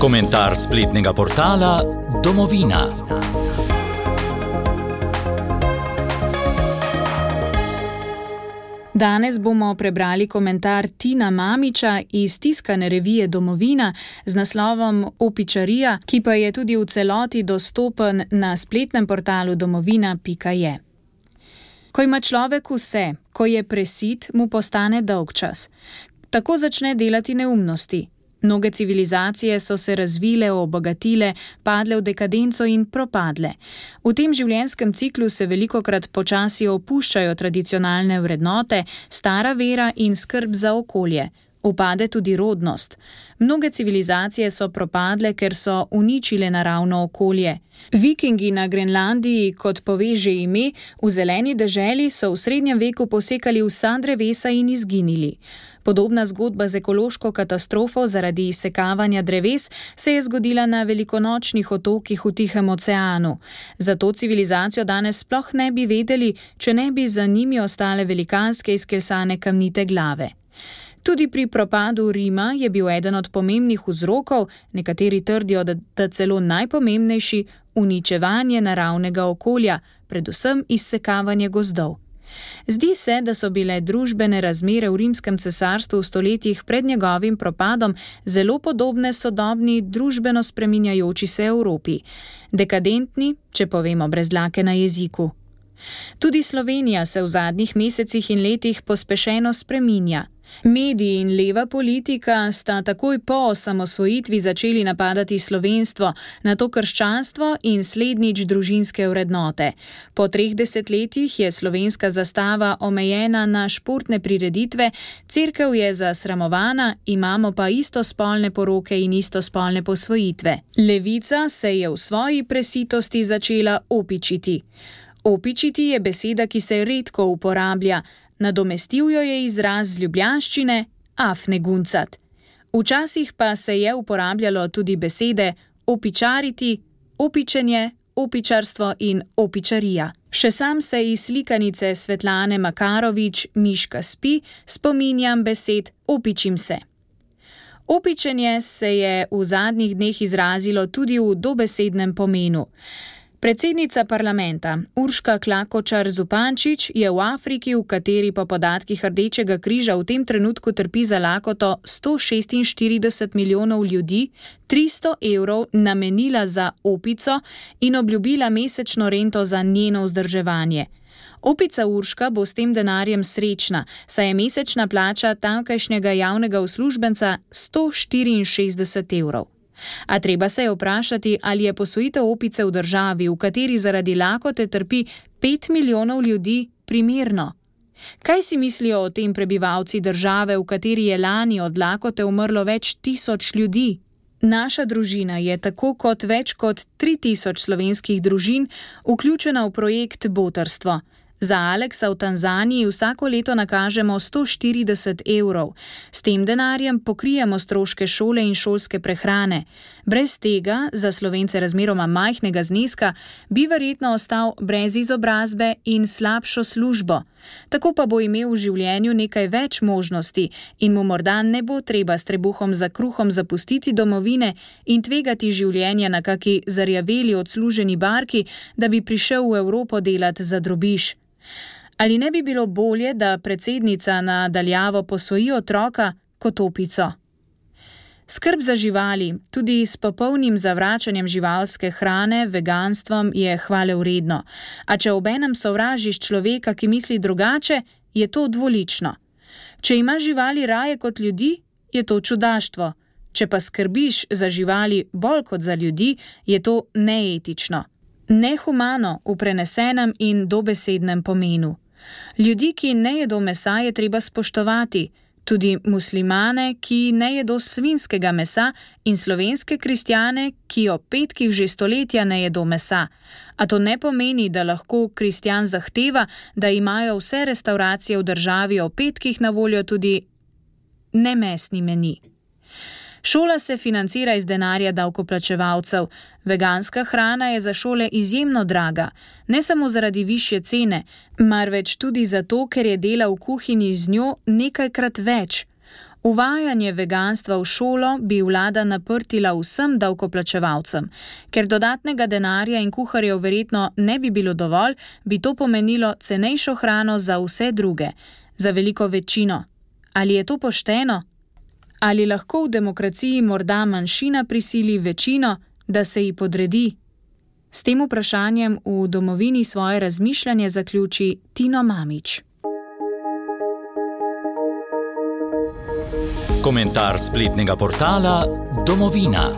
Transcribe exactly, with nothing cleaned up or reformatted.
Komentar spletnega portala Domovina. Danes bomo prebrali komentar Tina Mamića iz tiskane revije Domovina z naslovom Opičarija, ki pa je tudi v celoti dostopen na spletnem portalu domovina pika je. Ko ima človek vse, ko je presit, mu postane dolgčas. Tako začne delati neumnosti. Mnoge civilizacije so se razvile, obogatile, padle v dekadenco in propadle. V tem življenjskem ciklu se velikokrat počasi opuščajo tradicionalne vrednote, stara vera in skrb za okolje. Upade tudi rodnost. Mnoge civilizacije so propadle, ker so uničile naravno okolje. Vikingi na Grenlandiji, kot pove že ime, v zeleni deželi so v srednjem veku posekali vsa drevesa in izginili. Podobna zgodba z ekološko katastrofo zaradi izsekavanja dreves se je zgodila na velikonočnih otokih v Tihem oceanu. Zato civilizacijo danes sploh ne bi vedeli, če ne bi za njimi ostale velikanske izklesane kamnite glave. Tudi pri propadu Rima je bil eden od pomembnih vzrokov, nekateri trdijo, da, da celo najpomembnejši, uničevanje naravnega okolja, predvsem izsekavanje gozdov. Zdi se, da so bile družbene razmere v rimskem cesarstvu v stoletjih pred njegovim propadom zelo podobne sodobni družbeno spreminjajoči se Evropi. Dekadentni, če povemo brez dlake na jeziku. Tudi Slovenija se v zadnjih mesecih in letih pospešeno spreminja. Mediji in leva politika sta takoj po osamosvojitvi začeli napadati slovenstvo, nato krščanstvo in slednjič družinske vrednote. Po treh desetletjih je slovenska zastava omejena na športne prireditve, cerkev je zasramovana, imamo pa istospolne poroke in istospolne posvojitve. Levica se je v svoji presitosti začela opičiti. Opičiti je beseda, ki se redko uporablja. Nadomestil jo je izraz z ljubljanščine afne guncat. Včasih pa se je uporabljalo tudi besede opičariti, opičenje, opičarstvo in opičarija. Še sam se iz slikanice Svetlane Makarovič Miška spi spominjam besed opičim se. Opičenje se je v zadnjih dneh izrazilo tudi v dobesednem pomenu. Predsednica parlamenta Urška Klakočar Zupančič je v Afriki, v kateri po podatkih Rdečega križa v tem trenutku trpi za lakoto sto šestinštirideset milijonov ljudi, tristo evrov namenila za opico in obljubila mesečno rento za njeno vzdrževanje. Opica Urška bo s tem denarjem srečna, saj je mesečna plača tamkajšnjega javnega uslužbenca sto štiriinšestdeset evrov. A treba se je vprašati, ali je posvojitev opice v državi, v kateri zaradi lakote trpi pet milijonov ljudi, primerno. Kaj si mislijo o tem prebivalci države, v kateri je lani od lakote umrlo več tisoč ljudi? Naša družina je tako kot več kot tri tisoč slovenskih družin vključena v projekt Botrstvo. Za Aleksa v Tanzaniji vsako leto nakažemo sto štirideset evrov. S tem denarjem pokrijemo stroške šole in šolske prehrane. Brez tega, za Slovence razmeroma majhnega zneska, bi verjetno ostal brez izobrazbe in slabšo službo. Tako pa bo imel v življenju nekaj več možnosti in mu morda ne bo treba s trebuhom za kruhom zapustiti domovine in tvegati življenja na kaki zarjaveli odsluženi barki, da bi prišel v Evropo delati za drobiž. Ali ne bi bilo bolje, da predsednica na daljavo posvoji otroka kot opico? Skrb za živali, tudi s popolnim zavračanjem živalske hrane, veganstvom, je hvalevredno. A če obenem sovražiš človeka, ki misli drugače, je to dvolično. Če imaš živali raje kot ljudi, je to čudaštvo. Če pa skrbiš za živali bolj kot za ljudi, je to neetično. Nehumano v prenesenem in dobesednem pomenu. Ljudi, ki ne jedo mesa, je treba spoštovati, tudi muslimane, ki ne jedo svinjskega mesa in slovenske kristjane, ki ob petkih že stoletja ne jedo mesa. A to ne pomeni, da lahko kristjan zahteva, da imajo vse restavracije v državi ob petkih na voljo tudi nemesni meni. Šola se financira iz denarja davkoplačevalcev. Veganska hrana je za šole izjemno draga, ne samo zaradi višje cene, marveč tudi zato, ker je dela v kuhinji z njo nekajkrat več. Uvajanje veganstva v šolo bi vlada naprtila vsem davkoplačevalcem. Ker dodatnega denarja in kuharjev verjetno ne bi bilo dovolj, bi to pomenilo cenejšo hrano za vse druge, za veliko večino. Ali je to pošteno? Ali lahko v demokraciji morda manjšina prisili večino, da se ji podredi? S tem vprašanjem v Domovini svoje razmišljanje zaključi Tino Mamić. Komentar spletnega portala Domovina.